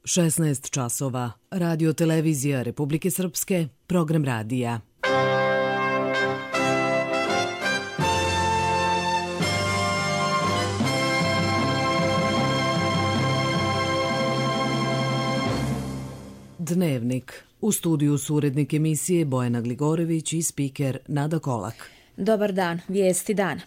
16 časova. Radio televizija Republike Srpske, program radija. Dnevnik. U studiju su urednik emisije Bojana Gligorević i spiker Nada Kolak. Dobar dan, vijesti dana.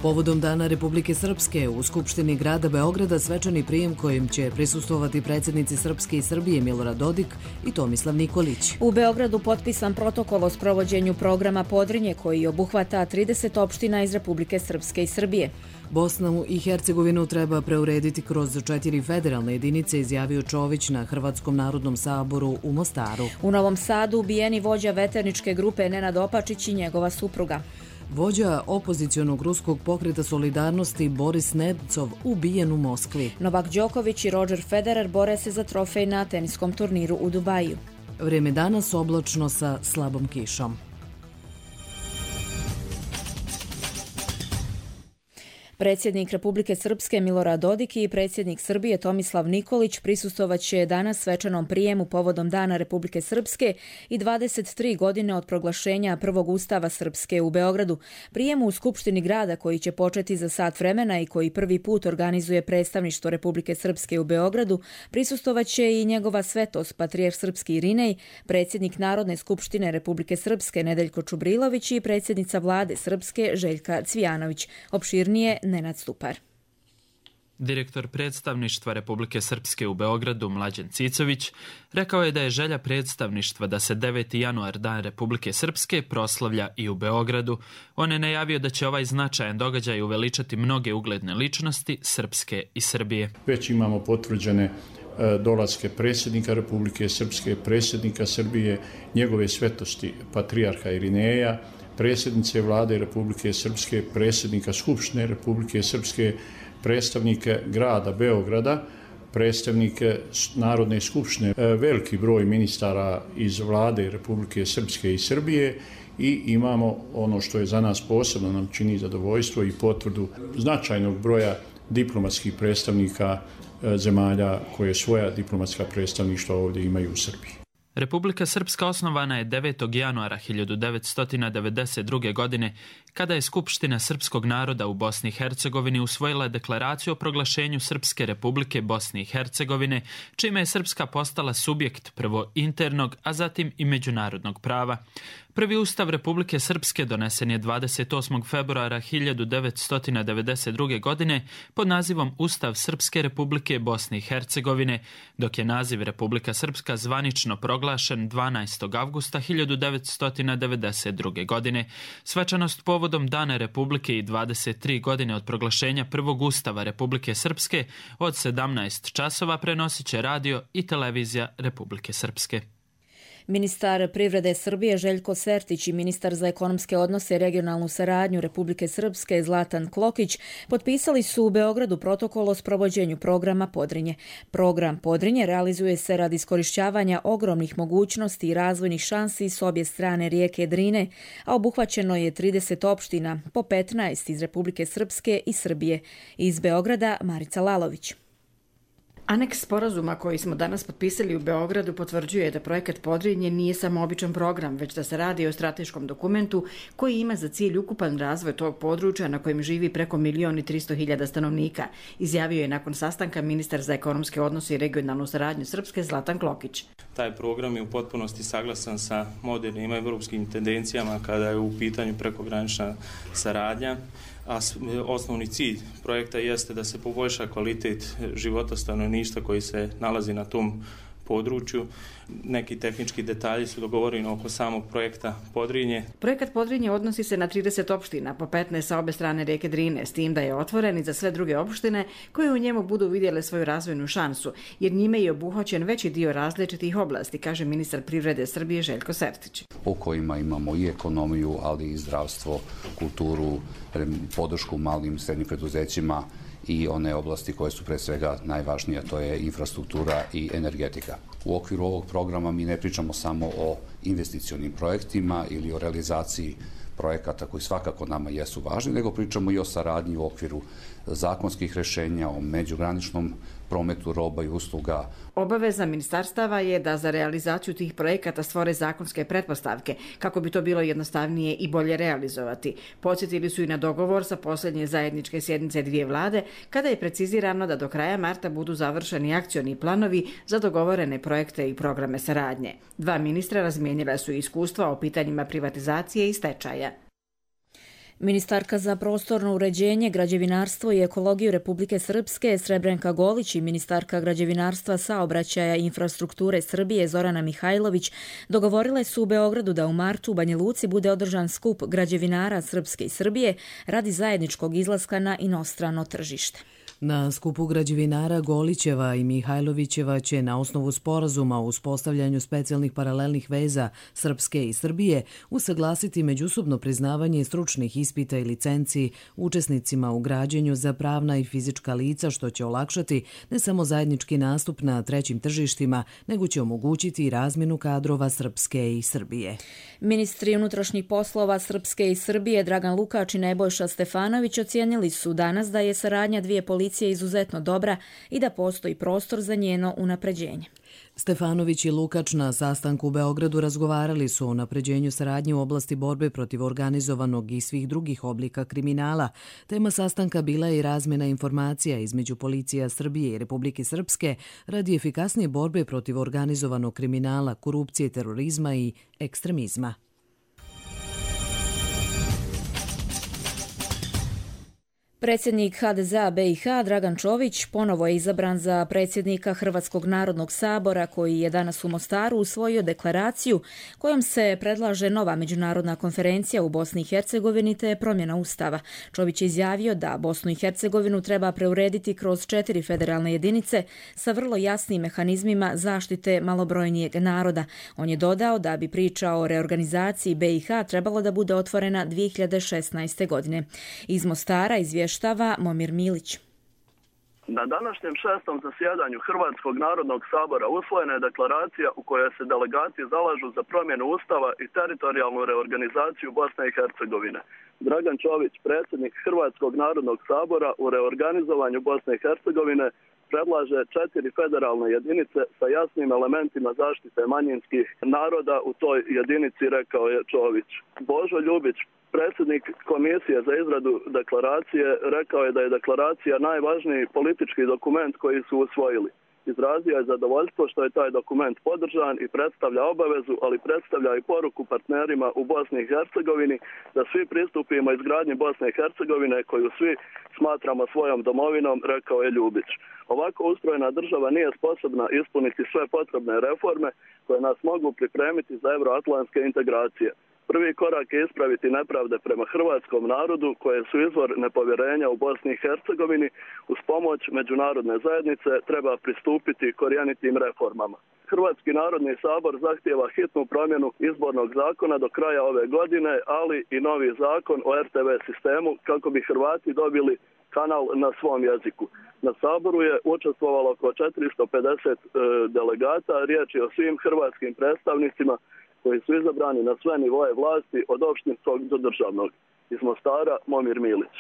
Povodom Dana Republike Srpske u Skupštini grada Beograda svečani prijem kojim će prisustvovati predsjednici Srpske i Srbije Milorad Dodik i Tomislav Nikolić. U Beogradu potpisan protokol o sprovođenju programa Podrinje koji obuhvata 30 opština iz Republike Srpske i Srbije. Bosnu i Hercegovinu treba preurediti kroz 4 federalne jedinice, izjavio Čović na Hrvatskom narodnom saboru u Mostaru. U Novom Sadu ubijeni vođa veterničke grupe Nenad Opačić i njegova supruga. Vođa opozicionog ruskog pokreta Solidarnosti Boris Nemcov ubijen u Moskvi. Novak Đoković i Roger Federer bore se za trofej na teniskom turniru u Dubaju. Vrijeme danas oblačno sa slabom kišom. Predsjednik Republike Srpske Milorad Dodik i predsjednik Srbije Tomislav Nikolić prisustvovaće danas svečanom prijemu povodom Dana Republike Srpske i 23 godine od proglašenja prvog ustava Srpske u Beogradu. Prijemu u Skupštini grada koji će početi za sat vremena i koji prvi put organizuje predstavništvo Republike Srpske u Beogradu prisustvovaće i njegova svetost patrijarh srpski Irinej, predsjednik Narodne skupštine Republike Srpske Nedeljko Čubrilović i predsjednica vlade Srpske Željka Cvijanović. Opširnije Nenad Stupar. Direktor predstavništva Republike Srpske u Beogradu Mlađan Cicović rekao je da je želja predstavništva da se 9. januar Dan Republike Srpske proslavlja i u Beogradu. On je najavio da će ovaj značajan događaj uveličati mnoge ugledne ličnosti Srpske i Srbije. Već imamo potvrđene dolaske predsjednika Republike Srpske, predsjednika Srbije, njegove svetosti patrijarha Irineja, predsjednice vlade Republike Srpske, predsjednika Skupštine Republike Srpske, predstavnike grada Beograda, predstavnike Narodne skupštine, veliki broj ministara iz vlade Republike Srpske i Srbije i imamo ono što je za nas posebno nam čini zadovoljstvo i potvrdu značajnog broja diplomatskih predstavnika zemalja koje svoja diplomatska predstavništva ovdje imaju u Srbiji. Republika Srpska osnovana je 9. januara 1992. godine kada je Skupština srpskog naroda u Bosni i Hercegovini usvojila deklaraciju o proglašenju Srpske republike Bosne i Hercegovine, čime je Srpska postala subjekt prvo internog, a zatim i međunarodnog prava. Prvi ustav Republike Srpske donesen je 28. februara 1992. godine pod nazivom Ustav Srpske republike Bosne i Hercegovine, dok je naziv Republika Srpska zvanično proglašen 12. avgusta 1992. godine. Svečanost povodom Dana Republike i 23 godine od proglašenja prvog ustava Republike Srpske od 17 časova prenosit će radio i televizija Republike Srpske. Ministar privrede Srbije Željko Sertić i ministar za ekonomske odnose i regionalnu saradnju Republike Srpske Zlatan Klokić potpisali su u Beogradu protokol o sprovođenju programa Podrinje. Program Podrinje realizuje se radi iskorišćavanja ogromnih mogućnosti i razvojnih šansi s obje strane rijeke Drine, a obuhvaćeno je 30 opština, po 15 iz Republike Srpske i Srbije. Iz Beograda Marica Lalović. Aneks sporazuma koji smo danas potpisali u Beogradu potvrđuje da projekat Podrinje nije samo običan program, već da se radi o strateškom dokumentu koji ima za cilj ukupan razvoj tog područja na kojem živi preko 1.300.000 stanovnika, izjavio je nakon sastanka ministar za ekonomske odnose i regionalnu saradnju Srpske Zlatan Klokić. Taj program je u potpunosti saglasan sa modernim evropskim tendencijama kada je u pitanju prekogranična saradnja. A osnovni cilj projekta jeste da se poboljša kvalitet života stanovništva koji se nalazi na tom području. Neki tehnički detalji su dogovoreni oko samog projekta Podrinje. Projekat Podrinje odnosi se na 30 opština, po 15 sa obe strane rijeke Drine, s tim da je otvoren i za sve druge opštine koje u njemu budu vidjele svoju razvojnu šansu, jer njime je obuhvaćen veći dio različitih oblasti, kaže ministar privrede Srbije Željko Sertić. U kojima imamo i ekonomiju, ali i zdravstvo, kulturu, podršku malim i srednjim preduzećima i one oblasti koje su pre svega najvažnije, to je infrastruktura i energetika. U okviru ovog programa mi ne pričamo samo o investicionim projektima ili o realizaciji projekata koji svakako nama jesu važni, nego pričamo i o saradnji u okviru zakonskih rješenja, o međugraničnom prometu roba i usluga. Obaveza ministarstava je da za realizaciju tih projekata stvore zakonske pretpostavke, kako bi to bilo jednostavnije i bolje realizovati. Podsjetili su i na dogovor sa posljednje zajedničke sjednice dvije vlade, kada je precizirano da do kraja marta budu završeni akcioni planovi za dogovorene projekte i programe saradnje. Dva ministra razmijenila su iskustva o pitanjima privatizacije i stečaja. Ministarka za prostorno uređenje, građevinarstvo i ekologiju Republike Srpske Srebrenka Golić i ministarka građevinarstva, saobraćaja i infrastrukture Srbije Zorana Mihajlović dogovorile su u Beogradu da u martu u Banja Luci bude održan skup građevinara Srpske i Srbije radi zajedničkog izlaska na inostrano tržište. Na skupu građevinara Golićeva i Mihajlovićeva će na osnovu sporazuma o uspostavljanju specijalnih paralelnih veza Srpske i Srbije usaglasiti međusobno priznavanje stručnih ispita i licenci učesnicima u građenju za pravna i fizička lica, što će olakšati ne samo zajednički nastup na trećim tržištima, nego će omogućiti i razmjenu kadrova Srpske i Srbije. Ministri unutrašnjih poslova Srpske i Srbije Dragan Lukač i Nebojša Stefanović ocijenili su danas da je saradnja dvije policije izuzetno dobra i da postoji prostor za njeno unapređenje. Stefanović i Lukač na sastanku u Beogradu razgovarali su o unapređenju saradnje u oblasti borbe protiv organizovanog i svih drugih oblika kriminala. Tema sastanka bila je i razmjena informacija između policija Srbije i Republike Srpske radi efikasnije borbe protiv organizovanog kriminala, korupcije, terorizma i ekstremizma. Predsjednik HDZ-a BiH Dragan Čović ponovo je izabran za predsjednika Hrvatskog narodnog sabora, koji je danas u Mostaru usvojio deklaraciju kojom se predlaže nova međunarodna konferencija u Bosni i Hercegovini te promjena ustava. Čović je izjavio da Bosnu i Hercegovinu treba preurediti kroz 4 federalne jedinice sa vrlo jasnim mehanizmima zaštite malobrojnijeg naroda. On je dodao da bi priča o reorganizaciji BiH trebalo da bude otvorena 2016. godine. Iz Mostara izvještava Momir Milić. Na današnjem 6. zasjedanju Hrvatskog narodnog sabora usvojena je deklaracija u kojoj se delegati zalažu za promjenu ustava i teritorijalnu reorganizaciju Bosne i Hercegovine. Dragan Čović, predsjednik Hrvatskog narodnog sabora, u reorganizovanju Bosne i Hercegovine predlaže 4 federalne jedinice sa jasnim elementima zaštite manjinskih naroda u toj jedinici, rekao je Čović. Božo Ljubić, predsjednik Komisije za izradu deklaracije, rekao je da je deklaracija najvažniji politički dokument koji su usvojili. Izrazio je zadovoljstvo što je taj dokument podržan i predstavlja obavezu, ali predstavlja i poruku partnerima u Bosni i Hercegovini da svi pristupimo izgradnji Bosne i Hercegovine koju svi smatramo svojom domovinom, rekao je Ljubić. Ovako ustrojena država nije sposobna ispuniti sve potrebne reforme koje nas mogu pripremiti za euroatlantske integracije. Prvi korak je ispraviti nepravde prema hrvatskom narodu koje su izvor nepovjerenja u Bosni i Hercegovini. Uz pomoć međunarodne zajednice treba pristupiti korijenitim reformama. Hrvatski narodni sabor zahtijeva hitnu promjenu izbornog zakona do kraja ove godine, ali i novi zakon o RTV sistemu kako bi Hrvati dobili kanal na svom jeziku. Na saboru je učestvovalo oko 450 delegata, riječ je o svim hrvatskim predstavnicima koji su izabrani na sve nivoje vlasti od opštinskog do državnog. Iz Mostara, Momir Milić.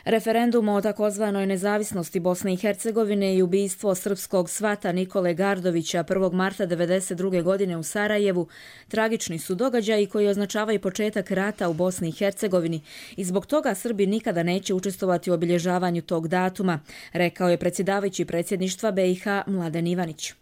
Referendum o takozvanoj nezavisnosti Bosne i Hercegovine i ubistvo srpskog svata Nikole Gardovića 1. marta 1992. godine u Sarajevu tragični su događaji koji označavaju početak rata u Bosni i Hercegovini i zbog toga Srbi nikada neće učestvovati u obilježavanju tog datuma, rekao je predsjedavajući predsjedništva BiH Mladen Ivanić.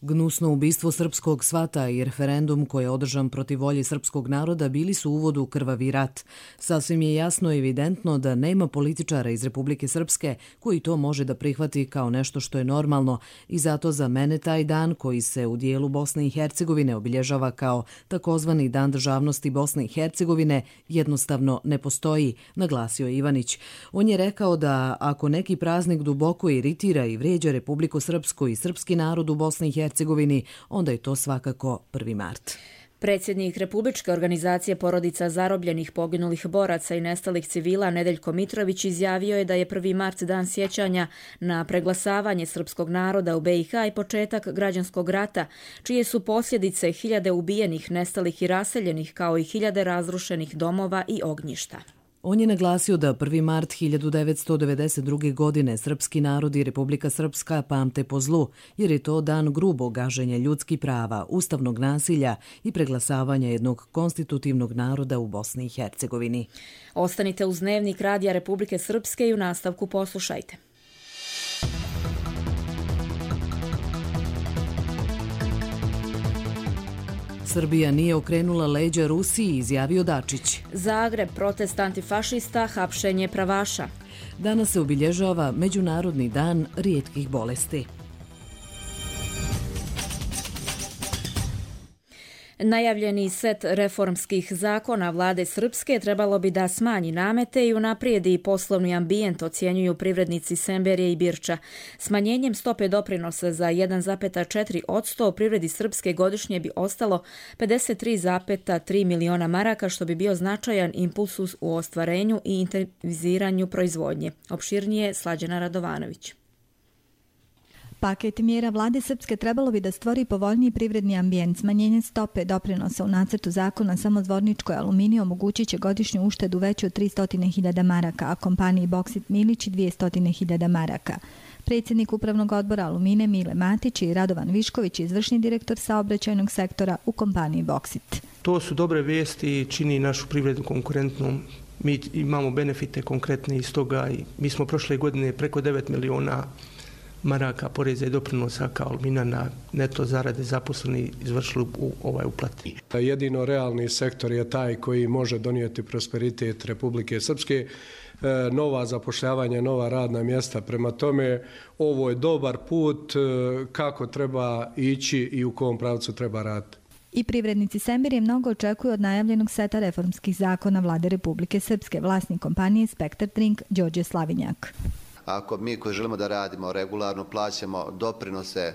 Gnusno ubistvo srpskog svata i referendum koji je održan protiv volje srpskog naroda bili su uvod u krvavi rat. Sasvim je jasno i evidentno da nema političara iz Republike Srpske koji to može da prihvati kao nešto što je normalno i zato za mene taj dan koji se u dijelu Bosne i Hercegovine obilježava kao takozvani Dan državnosti Bosne i Hercegovine jednostavno ne postoji, naglasio je Ivanić. On je rekao da ako neki praznik duboko iritira i vrijeđa Republiku Srpsku i srpski narod u Bosni i Hercegovini, onda je to svakako 1. mart. Predsjednik Republičke organizacije porodica zarobljenih, poginulih boraca i nestalih civila Nedeljko Mitrović izjavio je da je 1. mart dan sjećanja na preglasavanje srpskog naroda u BiH i početak građanskog rata, čije su posljedice hiljade ubijenih, nestalih i raseljenih, kao i hiljade razrušenih domova i ognjišta. On je naglasio da 1. mart 1992. godine srpski narod i Republika Srpska pamte po zlu, jer je to dan grubog gaženja ljudskih prava, ustavnog nasilja i preglasavanja jednog konstitutivnog naroda u Bosni i Hercegovini. Ostanite uz Dnevnik Radija Republike Srpske i u nastavku poslušajte. Srbija nije okrenula leđa Rusiji, izjavio Dačić. Zagreb, protest antifašista, hapšenje pravaša. Danas se obilježava Međunarodni dan rijetkih bolesti. Najavljeni set reformskih zakona vlade Srpske trebalo bi da smanji namete i unaprijedi poslovni ambijent, ocjenjuju privrednici Semberije i Birča. Smanjenjem stope doprinosa za 1,4% privredi Srpske godišnje bi ostalo 53,3 miliona maraka, što bi bio značajan impuls u ostvarenju i intenziviranju proizvodnje. Opširnije Slađana Radovanović. Paket mjera vlade Srpske trebalo bi da stvori povoljniji privredni ambijent. Smanjenje stope doprinosa u nacrtu zakona samozvorničkoj aluminiju omogućit će godišnju uštedu veću od 300.000 maraka, a kompaniji Boksit Milić 200.000 maraka. Predsjednik Upravnog odbora Alumine Mile Matić i Radovan Višković, izvršni direktor saobraćajnog sektora u kompaniji Boksit. To su dobre vijesti i čini našu privredu konkurentnom. Mi imamo benefite konkretne iz toga i mi smo prošle godine preko 9 miliona maraka poreza i doprinosa kao Alumina na neto zarade zaposleni izvršili u ovaj uplati. Jedino realni sektor je taj koji može donijeti prosperitet Republike Srpske, nova zapošljavanja, nova radna mjesta. Prema tome, ovo je dobar put kako treba ići i u kom pravcu treba raditi. I privrednici Semberije mnogo očekuju od najavljenog seta reformskih zakona vlade Republike Srpske. Vlasnik kompanije Spektar Drink Đorđe Slavinjak. Ako mi koji želimo da radimo regularno, plaćamo doprinose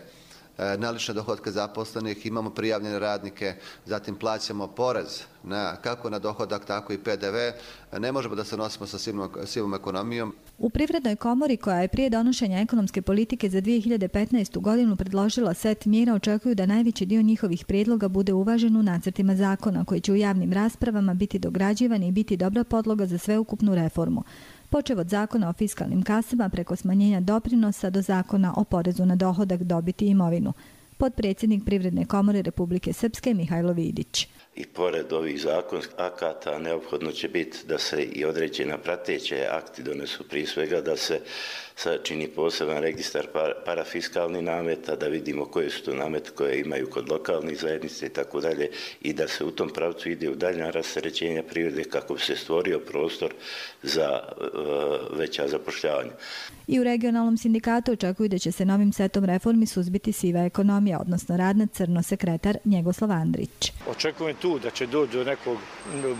na lične dohodke zaposlenih, imamo prijavljene radnike, zatim plaćamo porez kako na dohodak, tako i PDV, ne možemo da se nosimo sa sivom ekonomijom. U Privrednoj komori, koja je prije donošenja ekonomske politike za 2015. godinu predložila set mjera, očekuju da najveći dio njihovih prijedloga bude uvažen u nacrtima zakona, koji će u javnim raspravama biti dograđivani i biti dobra podloga za sveukupnu reformu. Počev od zakona o fiskalnim kasama preko smanjenja doprinosa do zakona o porezu na dohodak, dobit i imovinu. Potpredsjednik Privredne komore Republike Srpske Mihajlo Vidić. I pored ovih zakonskih akata neophodno će biti da se i određena prateće akti donesu, prije svega da se sačini poseban registar parafiskalnih nameta, da vidimo koje su to namete koje imaju kod lokalnih zajednica i tako dalje, i da se u tom pravcu ide u daljnja rasterećenja privrede kako bi se stvorio prostor za veća zapošljavanja. I u regionalnom sindikatu očekuju da će se novim setom reformi suzbiti siva ekonomija, odnosno rad na crno, sekretar Njegoslav Andrić. Očekujem tu da će doći do nekog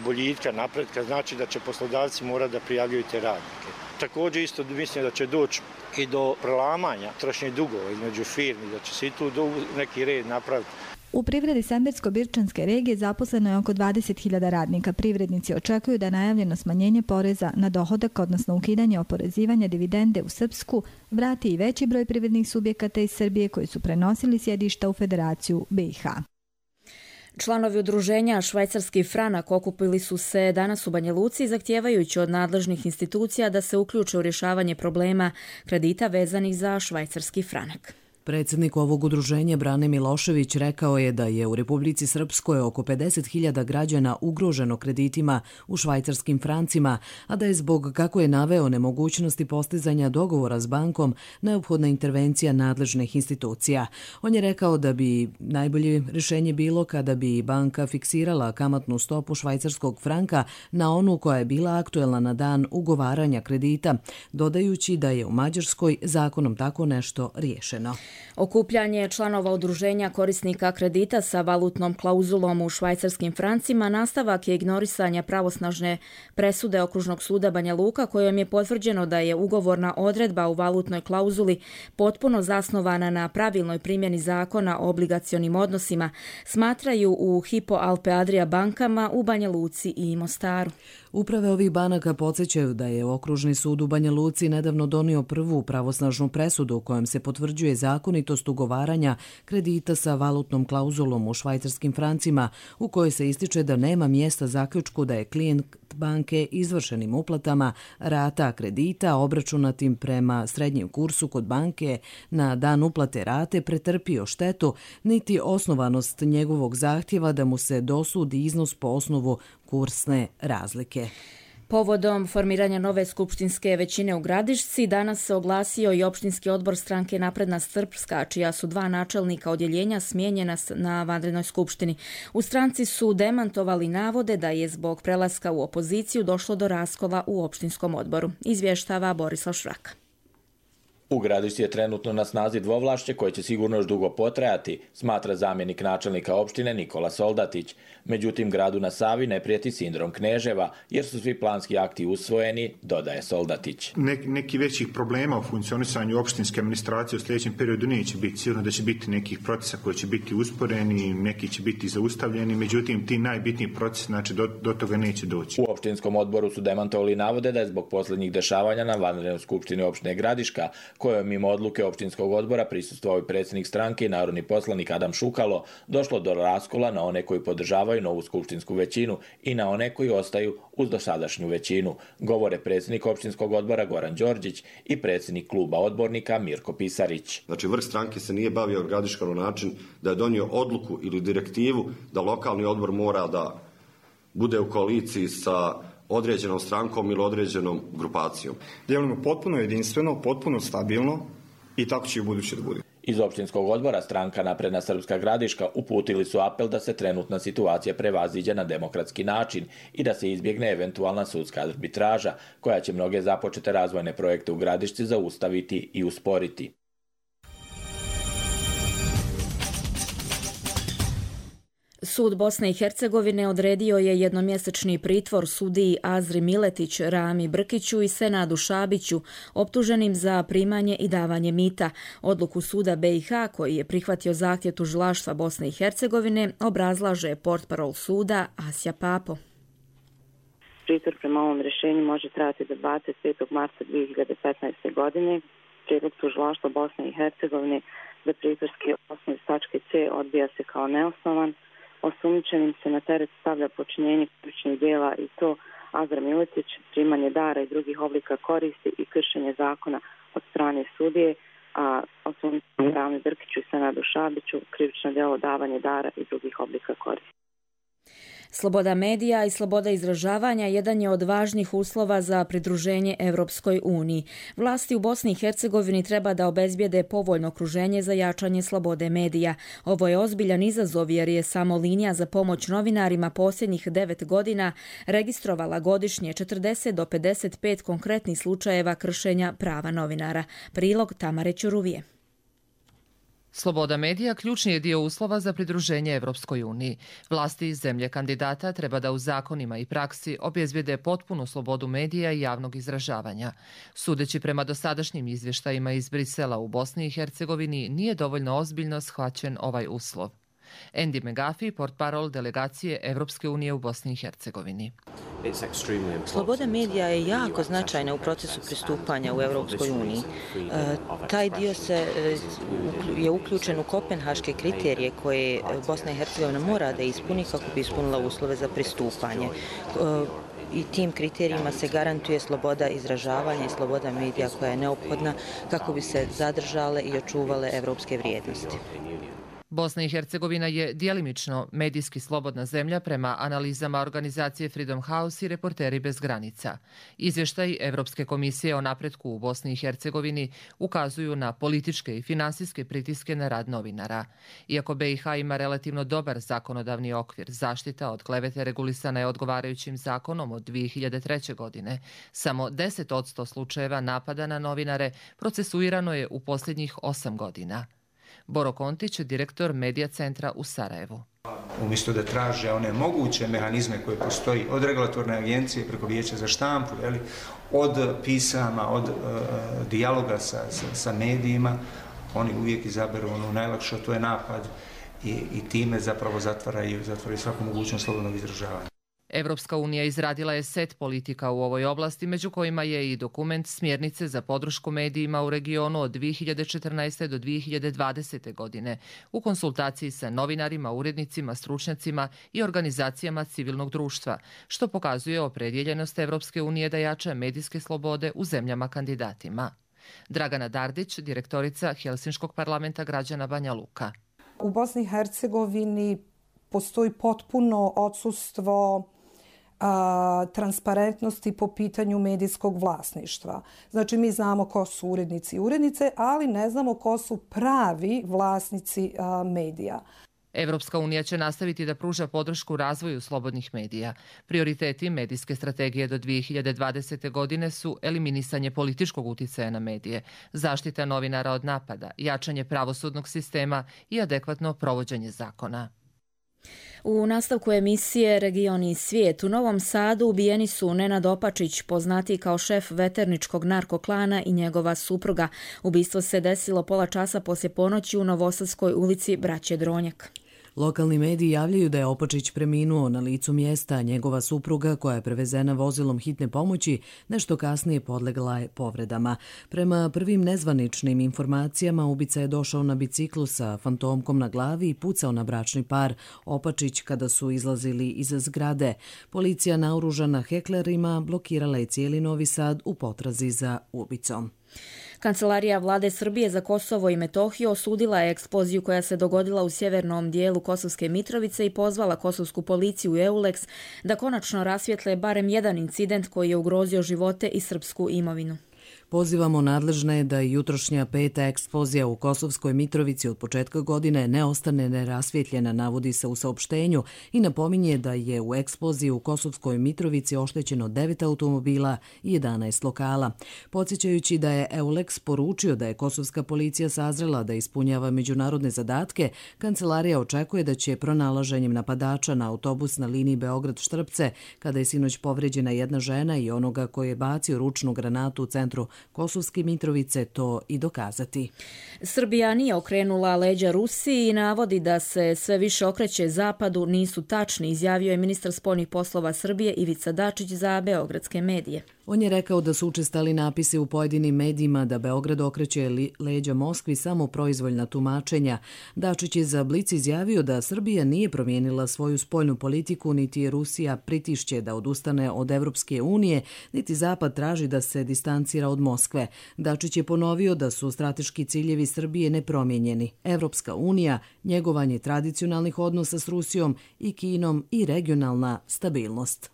boljitka, napretka, znači da će poslodavci morati da prijavljuju te radnike. Također isto mislim da će doći i do prelamanja trošnih dugova između firmi, da će se i tu neki red napraviti. U privredi Sembersko-Birčanske regije zaposleno je oko 20.000 radnika. Privrednici očekuju da najavljeno smanjenje poreza na dohodak, odnosno ukidanje oporezivanja dividende u Srpsku, vrati i veći broj privrednih subjekata iz Srbije koji su prenosili sjedišta u Federaciju BiH. Članovi udruženja Švajcarski franak okupili su se danas u Banja Luci, zahtijevajući od nadležnih institucija da se uključe u rješavanje problema kredita vezanih za švajcarski franak. Predsjednik ovog udruženja Brane Milošević rekao je da je u Republici Srpskoj oko 50.000 građana ugroženo kreditima u švajcarskim francima, a da je zbog, kako je naveo, nemogućnosti postizanja dogovora s bankom neophodna intervencija nadležnih institucija. On je rekao da bi najbolje rješenje bilo kada bi banka fiksirala kamatnu stopu švajcarskog franka na onu koja je bila aktuelna na dan ugovaranja kredita, dodajući da je u Mađarskoj zakonom tako nešto riješeno. Okupljanje članova udruženja korisnika kredita sa valutnom klauzulom u švajcarskim francima nastavak je ignorisanja pravosnažne presude Okružnog suda Banja Luka kojom je potvrđeno da je ugovorna odredba u valutnoj klauzuli potpuno zasnovana na pravilnoj primjeni zakona o obligacionim odnosima, smatraju u Hypo Alpe Adria bankama u Banja Luci i Mostaru. Uprave ovih banaka podsjećaju da je Okružni sud u Banja Luci nedavno donio prvu pravosnažnu presudu u kojem se potvrđuje zakonitost ugovaranja kredita sa valutnom klauzulom u švajcarskim francima, u kojoj se ističe da nema mjesta zaključku da je klijent banke izvršenim uplatama rata kredita obračunatim prema srednjem kursu kod banke na dan uplate rate pretrpio štetu, niti osnovanost njegovog zahtjeva da mu se dosudi iznos po osnovu kursne razlike. Povodom formiranja nove skupštinske većine u Gradišci danas se oglasio i opštinski odbor stranke Napredna Srpska, čija su 2 načelnika odjeljenja smijenjena na vanrednoj skupštini. U stranci su demantovali navode da je zbog prelaska u opoziciju došlo do raskola u opštinskom odboru. Izvještava Borislav Švraka. U Gradišci je trenutno na snazi dvovlašće koje će sigurno još dugo potrajati, smatra zamjenik načelnika opštine Nikola Soldatić. Međutim, gradu na Savi ne prijeti sindrom Kneževa, jer su svi planski akti usvojeni, dodaje Soldatić. Neki većih problema u funkcionisanju opštinske administracije u sljedećem periodu neće biti. Sigurno da će biti nekih procesa koji će biti usporeni, neki će biti zaustavljeni, međutim ti najbitniji procesi, znači do toga neće doći. U opštinskom odboru su demantovali navode da je zbog posljednjih dešavanja na vanrednoj skupštini opštine Gradiška, kojom mimo odluke opštinskog odbora prisustvovao i predsjednik stranke i narodni poslanik Adam Šukalo, došlo do raskola na one koji podržavaju novu skupštinsku većinu i na one koji ostaju uz dosadašnju većinu, govore predsjednik opštinskog odbora Goran Đorđić i predsjednik kluba odbornika Mirko Pisarić. Znači, vrh stranke se nije bavio Gradiškom na način da je donio odluku ili direktivu da lokalni odbor mora da bude u koaliciji sa određenom strankom ili određenom grupacijom. Djelujemo potpuno jedinstveno, potpuno stabilno i tako će i u buduće da bude. Iz opštinskog odbora stranka Napredna Srpska Gradiška uputili su apel da se trenutna situacija prevaziđe na demokratski način i da se izbjegne eventualna sudska arbitraža koja će mnoge započete razvojne projekte u Gradišci zaustaviti i usporiti. Sud Bosne i Hercegovine odredio je jednomjesečni pritvor sudiji Azri Miletić, Rami Brkiću i Senadu Šabiću, optuženim za primanje i davanje mita. Odluku suda BiH, koji je prihvatio zahtjev tužilaštva Bosne i Hercegovine, obrazlaže portparol suda Asja Papo. Pritvor prema ovom rješenju može trajati do 25. marta 2015. godine. Prijedlog tužilaštva Bosne i Hercegovine za pritvorski osnov iz tačke C odbija se kao neosnovan. Osumnjičenim se na teret stavlja počinjenje krivičnih djela i to Azra Miletić, primanje dara i drugih oblika koristi i kršenje zakona od strane sudije, a osumnjičenim Rami Brkiću i Senadu Šabiću krivično djelo davanje dara i drugih oblika koristi. Sloboda medija i sloboda izražavanja jedan je od važnih uslova za pridruženje Europskoj uniji. Vlasti u Bosni i Hercegovini treba da obezbijede povoljno okruženje za jačanje slobode medija. Ovo je ozbiljan izazov jer je samo linija za pomoć novinarima posljednjih 9 godina registrovala godišnje 40 do 55 konkretnih slučajeva kršenja prava novinara. Prilog Tamare Ćuruvije. Sloboda medija ključni je dio uslova za pridruženje Europskoj uniji. Vlasti iz zemlje kandidata treba da u zakonima i praksi obezbijede potpunu slobodu medija i javnog izražavanja. Sudeći prema dosadašnjim izvještajima iz Brisela u Bosni i Hercegovini, nije dovoljno ozbiljno shvaćen ovaj uslov. Andy McGuffey, portparol delegacije Evropske unije u Bosni i Hercegovini. Sloboda medija je jako značajna u procesu pristupanja u Evropskoj uniji. Taj dio je uključen u kopenhaške kriterije koje Bosna i Hercegovina mora da ispuni kako bi ispunila uslove za pristupanje. I tim kriterijima se garantuje sloboda izražavanja i sloboda medija koja je neophodna kako bi se zadržale i očuvale evropske vrijednosti. Bosna i Hercegovina je djelimično medijski slobodna zemlja prema analizama organizacije Freedom House i Reporteri bez granica. Izvještaj Evropske komisije o napretku u Bosni i Hercegovini ukazuju na političke i finansijske pritiske na rad novinara. Iako BiH ima relativno dobar zakonodavni okvir, zaštita od klevete regulisana je odgovarajućim zakonom od 2003. godine. Samo 10% slučajeva napada na novinare procesuirano je u posljednjih 8 godina. Boro Kontić, direktor Medija centra u Sarajevu. Umjesto da traže one moguće mehanizme koje postoji od regulatorne agencije preko vijeća za štampu, od pisama, od dijaloga sa medijima, oni uvijek izaberu ono najlakše, to je napad i time zapravo zatvaraju svaku mogućnost slobodnog izražavanja. Evropska unija izradila je set politika u ovoj oblasti, među kojima je i dokument Smjernice za podršku medijima u regionu od 2014. do 2020. godine, u konsultaciji sa novinarima, urednicima, stručnjacima i organizacijama civilnog društva, što pokazuje opredjeljenost Evropske unije da jača medijske slobode u zemljama kandidatima. Dragana Dardić, direktorica Helsinškog parlamenta građana Banja Luka. U Bosni i Hercegovini postoji potpuno odsustvo transparentnosti po pitanju medijskog vlasništva. Znači, mi znamo ko su urednici i urednice, ali ne znamo ko su pravi vlasnici medija. Evropska unija će nastaviti da pruža podršku razvoju slobodnih medija. Prioriteti medijske strategije do 2020. godine su eliminisanje političkog uticaja na medije, zaštita novinara od napada, jačanje pravosudnog sistema i adekvatno provođenje zakona. U nastavku emisije Region i svijet u Novom Sadu ubijeni su Nenad Opačić, poznatiji kao šef veterničkog narkoklana, i njegova supruga. Ubistvo se desilo pola časa poslije ponoći u Novosadskoj ulici Braće Dronjak. Lokalni mediji javljaju da je Opačić preminuo na licu mjesta, a njegova supruga, koja je prevezena vozilom hitne pomoći, nešto kasnije podlegla je povredama. Prema prvim nezvaničnim informacijama, ubica je došao na biciklu sa fantomkom na glavi i pucao na bračni par Opačić kada su izlazili iz zgrade. Policija, naoružana heklerima, blokirala je cijeli Novi Sad u potrazi za ubicom. Kancelarija vlade Srbije za Kosovo i Metohiju osudila je eksploziju koja se dogodila u sjevernom dijelu Kosovske Mitrovice i pozvala kosovsku policiju i EULEX da konačno rasvijetle barem jedan incident koji je ugrozio živote i srpsku imovinu. Pozivamo nadležne da jutrošnja peta eksplozija u Kosovskoj Mitrovici od početka godine ne ostane nerasvjetljena, navodi se u saopštenju, i napominje da je u eksploziji u Kosovskoj Mitrovici oštećeno 9 automobila i 11 lokala. Podsjećajući da je EULEX poručio da je kosovska policija sazrela da ispunjava međunarodne zadatke, kancelarija očekuje da će pronalaženjem napadača na autobus na liniji Beograd-Štrpce, kada je sinoć povređena jedna žena, i onoga koji je bacio ručnu granatu u centru Kosovske Mitrovice, to i dokazati. Srbija nije okrenula leđa Rusiji i navodi da se sve više okreće zapadu nisu tačni, izjavio je ministar spoljnih poslova Srbije Ivica Dačić za beogradske medije. On je rekao da su učestali napisi u pojedinim medijima da Beograd okreće leđa Moskvi samo proizvoljna tumačenja. Dačić je za Blic izjavio da Srbija nije promijenila svoju spoljnu politiku, niti je Rusija pritišće da odustane od Evropske unije, niti Zapad traži da se distancira od Moskve. Dačić je ponovio da su strateški ciljevi Srbije nepromijenjeni. Evropska unija, njegovanje tradicionalnih odnosa s Rusijom i Kinom i regionalna stabilnost.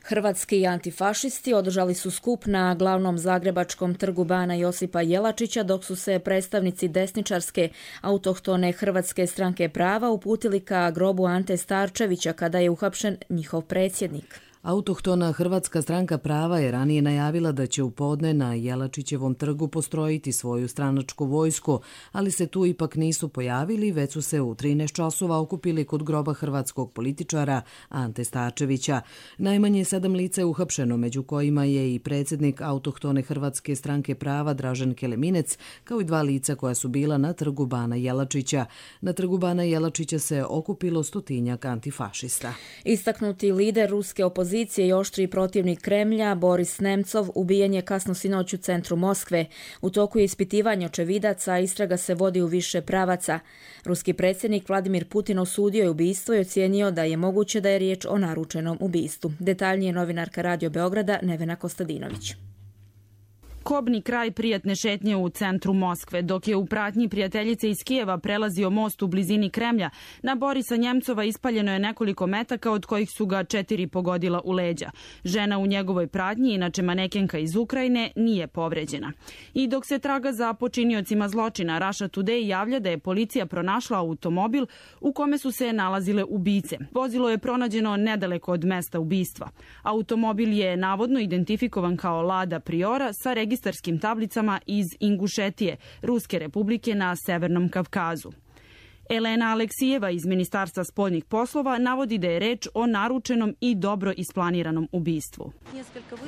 Hrvatski antifašisti održali su skup na glavnom zagrebačkom trgu Bana Josipa Jelačića, dok su se predstavnici desničarske autohtone Hrvatske stranke prava uputili ka grobu Ante Starčevića kada je uhapšen njihov predsjednik. Autohtona Hrvatska stranka prava je ranije najavila da će u podne na Jelačićevom trgu postrojiti svoju stranačku vojsku, ali se tu ipak nisu pojavili, već su se u 13 časova okupili kod groba hrvatskog političara Ante Starčevića. Najmanje 7 lica je uhapšeno, među kojima je i predsjednik autohtone Hrvatske stranke prava Dražen Keleminec, kao i 2 lica koja su bila na trgu Bana Jelačića. Na trgu Bana Jelačića se okupilo 100-tinjak antifašista. Istaknuti lider ruske opozicije i oštri protivnik Kremlja, Boris Nemcov, ubijen je kasno sinoć u centru Moskve. U toku je ispitivanje očevidaca, a istraga se vodi u više pravaca. Ruski predsjednik Vladimir Putin osudio je ubistvo i ocijenio da je moguće da je riječ o naručenom ubistvu. Detaljnije novinarka Radio Beograda Nevena Kostadinović. Kobni kraj prijatne šetnje u centru Moskve, dok je u pratnji prijateljice iz Kijeva prelazio most u blizini Kremlja, na Borisa Njemcova ispaljeno je nekoliko metaka, od kojih su ga 4 pogodila u leđa. Žena u njegovoj pratnji, inače manekenka iz Ukrajine, nije povređena. I dok se traga za počiniocima zločina, Russia Today javlja da je policija pronašla automobil u kome su se nalazile ubice. Vozilo je pronađeno nedaleko od mesta ubistva. Automobil je navodno identifikovan kao Lada Priora sa registracijom registarskim tablicama iz Ingušetije, Ruske republike na Severnom Kavkazu. Elena Aleksijeva iz Ministarstva spoljnih poslova navodi da je reč o naručenom i dobro isplaniranom ubistvu.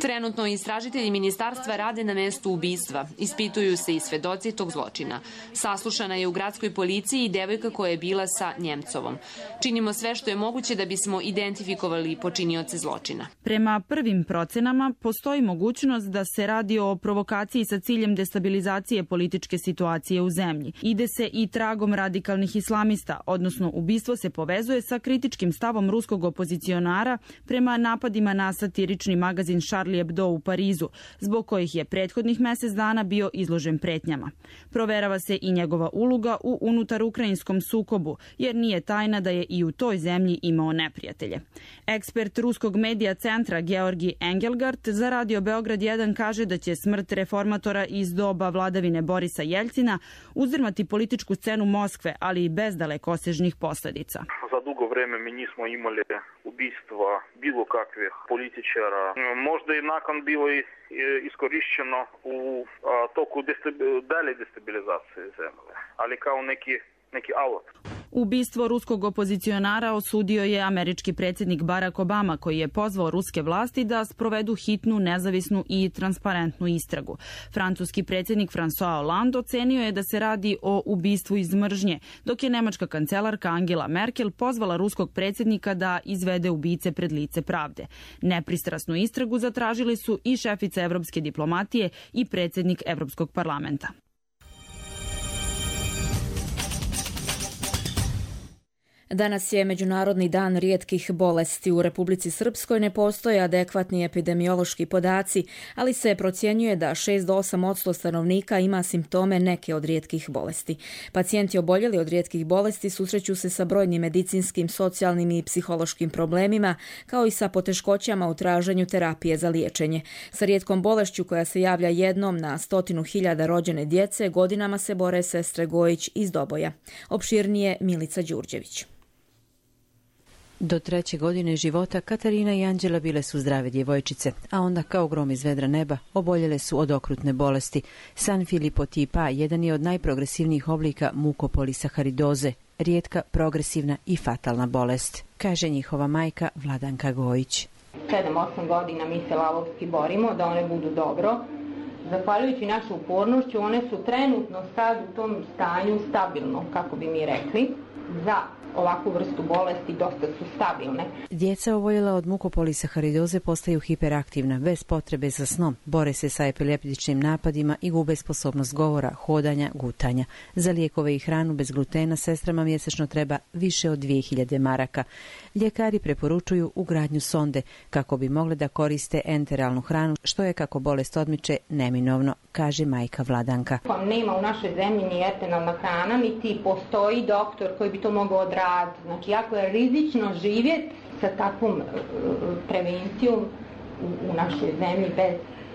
Trenutno istražitelji ministarstva rade na mestu ubistva. Ispituju se i svedoci tog zločina. Saslušana je u gradskoj policiji i devojka koja je bila sa Njemcovom. Činimo sve što je moguće da bismo identifikovali počinioce zločina. Prema prvim procenama postoji mogućnost da se radi o provokaciji sa ciljem destabilizacije političke situacije u zemlji. Ide se i tragom radikalnih islamista, odnosno ubistvo se povezuje sa kritičkim stavom ruskog opozicionara prema napadima na satirični magazin Charlie Hebdo u Parizu, zbog kojih je prethodnih mesec dana bio izložen pretnjama. Proverava se i njegova uloga u unutar ukrajinskom sukobu, jer nije tajna da je i u toj zemlji imao neprijatelje. Ekspert ruskog medija centra Georgi Engelgart za Radio Beograd 1 kaže da će smrt reformatora iz doba vladavine Borisa Jeljcina uzdrmati političku scenu Moskve, ali i bez dalekosežnih posledica. Za dugo vreme mi nismo imali ubistva bilo kakvih političara. Možda je nakon bilo iskorišćeno u toku dalje destabilizacije zemlje, ali kao neki alat. Ubistvo ruskog opozicionara osudio je američki predsjednik Barack Obama, koji je pozvao ruske vlasti da sprovedu hitnu, nezavisnu i transparentnu istragu. Francuski predsjednik François Hollande ocenio je da se radi o ubistvu iz mržnje, dok je nemačka kancelarka Angela Merkel pozvala ruskog predsjednika da izvede ubice pred lice pravde. Nepristrasnu istragu zatražili su i šefica evropske diplomatije i predsjednik Evropskog parlamenta. Danas je Međunarodni dan rijetkih bolesti. U Republici Srpskoj ne postoje adekvatni epidemiološki podaci, ali se procjenjuje da 6 do 8% stanovnika ima simptome neke od rijetkih bolesti. Pacijenti oboljeli od rijetkih bolesti susreću se sa brojnim medicinskim, socijalnim i psihološkim problemima, kao i sa poteškoćama u traženju terapije za liječenje. Sa rijetkom bolešću koja se javlja jednom na 100.000 rođene djece godinama se bore sestre Gojić iz Doboja. Opširnije Milica Đurđević. Do 3. godine života Katarina i Anđela bile su zdrave djevojčice, a onda kao grom iz vedra neba oboljele su od okrutne bolesti. Sanfilippo tipa A jedan je od najprogresivnijih oblika mukopolisaharidoze, rijetka, progresivna i fatalna bolest, kaže njihova majka Vladanka Gojić. 7-8 godina mi se lavovski borimo da one budu dobro. Zahvaljujući našu upornošću, one su trenutno sad u tom stanju stabilno, kako bi mi rekli, za ovakvu vrstu bolesti dosta su stabilne. Djeca oboljela od mukopolisaharidoze postaju hiperaktivna, bez potrebe za snom, bore se sa epileptičnim napadima i gube sposobnost govora, hodanja, gutanja. Za lijekove i hranu bez glutena sestrama mjesečno treba više od 2000 maraka. Ljekari preporučuju ugradnju sonde kako bi mogle da koriste enteralnu hranu, što je, kako bolest odmiče, neminovno, kaže majka Vladanka. Nema u našoj zemlji ni enteralna hrana, niti postoji doktor koji bi to mogao odraditi. Znači, jako je rizično živjeti sa takvom prevencijom u našoj zemlji bez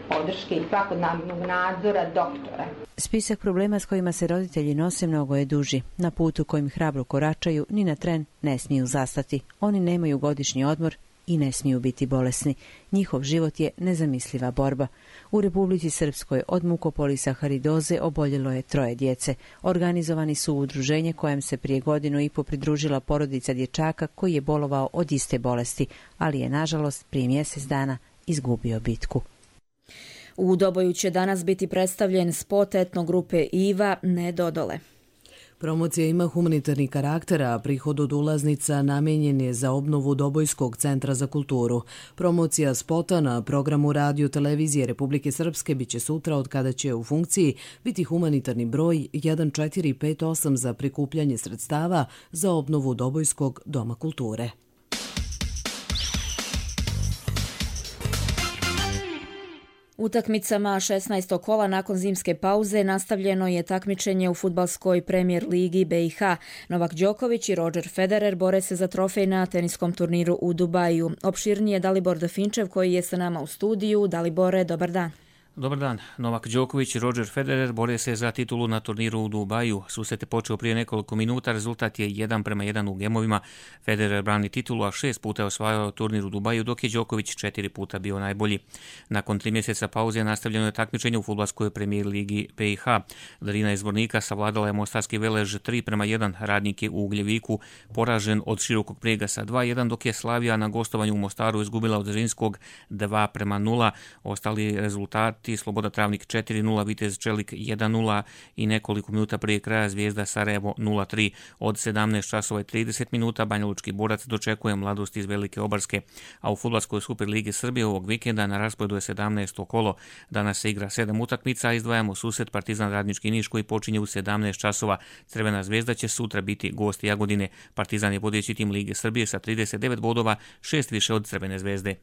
podrške i svakodnevnog nadzora doktora. Spisak problema s kojima se roditelji nose mnogo je duži. Na putu kojim hrabro koračaju, ni na tren ne smiju zastati. Oni nemaju godišnji odmor i ne smiju biti bolesni. Njihov život je nezamisliva borba. U Republici Srpskoj od mukopolisaharidoze oboljelo je 3 djece. Organizovani su u udruženje kojem se prije 1.5 godina pridružila porodica dječaka koji je bolovao od iste bolesti, ali je nažalost prije mjesec dana izgubio bitku. U Doboju će danas biti predstavljen spot etno grupe Iva Ne dodole. Promocija ima humanitarni karakter, a prihod od ulaznica namenjen je za obnovu Dobojskog centra za kulturu. Promocija spota na programu Radio Televizije Republike Srpske biće sutra, od kada će u funkciji biti humanitarni broj 1458 za prikupljanje sredstava za obnovu Dobojskog doma kulture. Utakmicama 16. kola nakon zimske pauze nastavljeno je takmičenje u fudbalskoj premijer ligi BiH. Novak Đoković i Roger Federer bore se za trofej na teniskom turniru u Dubaju. Opširnije Dalibor Dafinčev koji je sa nama u studiju. Dalibore, dobar dan. Dobar dan. Novak Đoković i Roger Federer bore se za titulu na turniru u Dubaju. Susret je počeo prije nekoliko minuta, rezultat je 1:1 u gemovima. Federer brani titulu, a 6 puta je osvajao turnir u Dubaju, dok je Đoković 4 puta bio najbolji. Nakon 3 mjeseca pauze nastavljeno je takmičenje u fudbalskoj premijer ligi BiH. Darina iz Zvornika savladala je mostarski Velež 3:1. Radnik je u Ugljeviku poražen od Širokog Brijega sa 2:1, dok je Slavija na gostovanju u Mostaru izgubila od Zrinskog 2:0. Ostali rezultati: Sloboda Travnik 4:0, Vitez Čelik 1:0 i nekoliko minuta prije kraja Zvijezda Sarajevo 0:3. Od 17:30 Banjalučki Borac dočekuje Mladost iz Velike Obarske, a u fudbalskoj Superligi Srbije ovog vikenda na rasporedu je 17. kolo. Danas se igra 7 utakmica, a izdvajamo susret Partizan Radnički Niš koji počinje u 17 časova. Crvena Zvezda će sutra biti gost Jagodine. Partizan je vodeći tim Lige Srbije sa 39 bodova, 6 više od Crvene Zvezde.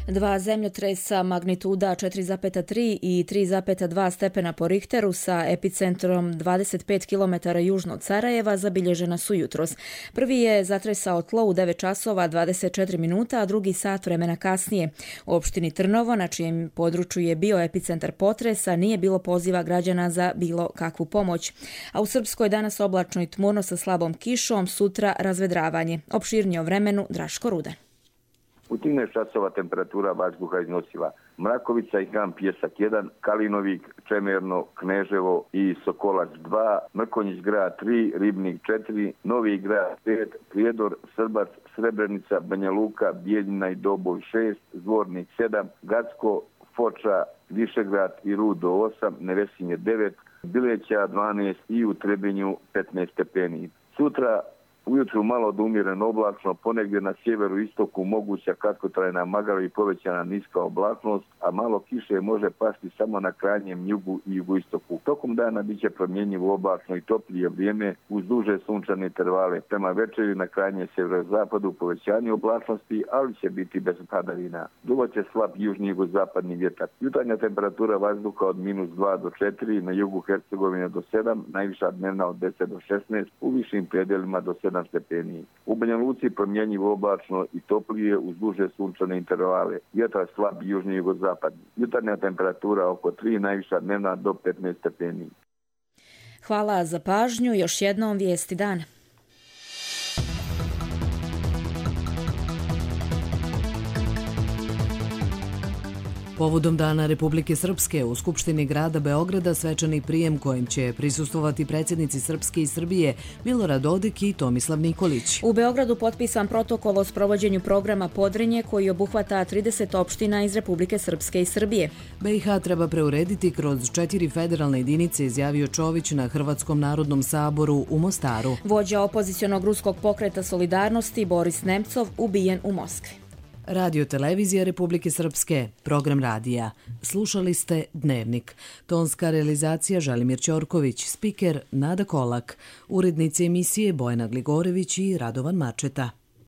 Dva zemljotresa magnituda 4,3 i 3,2 stepena po Richteru sa epicentrom 25 km južno od Sarajeva zabilježena su jutros. Prvi je zatresao tlo u 9 časova 24 minuta, a drugi sat vremena kasnije. U opštini Trnovo, na čijem području je bio epicentar potresa, nije bilo poziva građana za bilo kakvu pomoć. A u Srpskoj danas oblačno i tmurno sa slabom kišom, sutra razvedravanje. Opširnije o vremenu Draško Rudan. U 13 časova temperatura vazduha iznosila Mrakovica i Kamp Pjesak 1, Kalinovik, Čemerno, Kneževo i Sokolac 2, Mrkonjić grad 3, Ribnik 4, Novi grad 5, Prijedor, Srbac, Srebrenica, Banja Luka, Bijeljina i Doboj 6, Zvornik 7, Gacko, Foča, Višegrad i Rudo 8, Nevesinje 9, Bileća 12 i u Trebinju 15 stepeni. Sutra ujutru malo do umjereno oblačno, ponegdje na sjeveru istoku moguća kratkotrajna magla i povećana niska oblačnost, a malo kiše može pasti samo na krajnjem jugu i jugoistoku. Tokom dana bit će promjenjivo oblačno i toplije vrijeme uz duže sunčane intervale. Prema večeri na krajnjem sjeverozapadu povećanje oblačnosti, ali će biti bez padavina. Duvat će slab južni jugozapadni vjetar. Jutarnja temperatura vazduha od -2 do 4, na jugu Hercegovine do 7, najviša dnevna od 10 do 16, u višim predelima do 7 stepeni. U Banja Luci promjenjivo oblačno i toplije uz duže sunčane intervale. Vjetar slab južni jugozapadni. Jutarnja temperatura oko 3, najviša dnevna do 15 stepeni. Hvala za pažnju. Još jednom vijesti dana. Povodom Dana Republike Srpske u Skupštini grada Beograda svečani prijem kojim će prisustvovati predsjednici Srpske i Srbije Milorad Dodik i Tomislav Nikolić. U Beogradu potpisan protokol o sprovođenju programa Podrinje koji obuhvata 30 opština iz Republike Srpske i Srbije. BiH treba preurediti kroz 4 federalne jedinice, izjavio Čović na Hrvatskom narodnom saboru u Mostaru. Vođa opozicionog ruskog pokreta Solidarnosti Boris Nemcov ubijen u Moskvi. Radio Televizija Republike Srpske, program radija. Slušali ste Dnevnik. Tonska realizacija Želimir Ćorković, spiker Nada Kolak, urednici emisije Bojana Gligorević i Radovan Mačeta.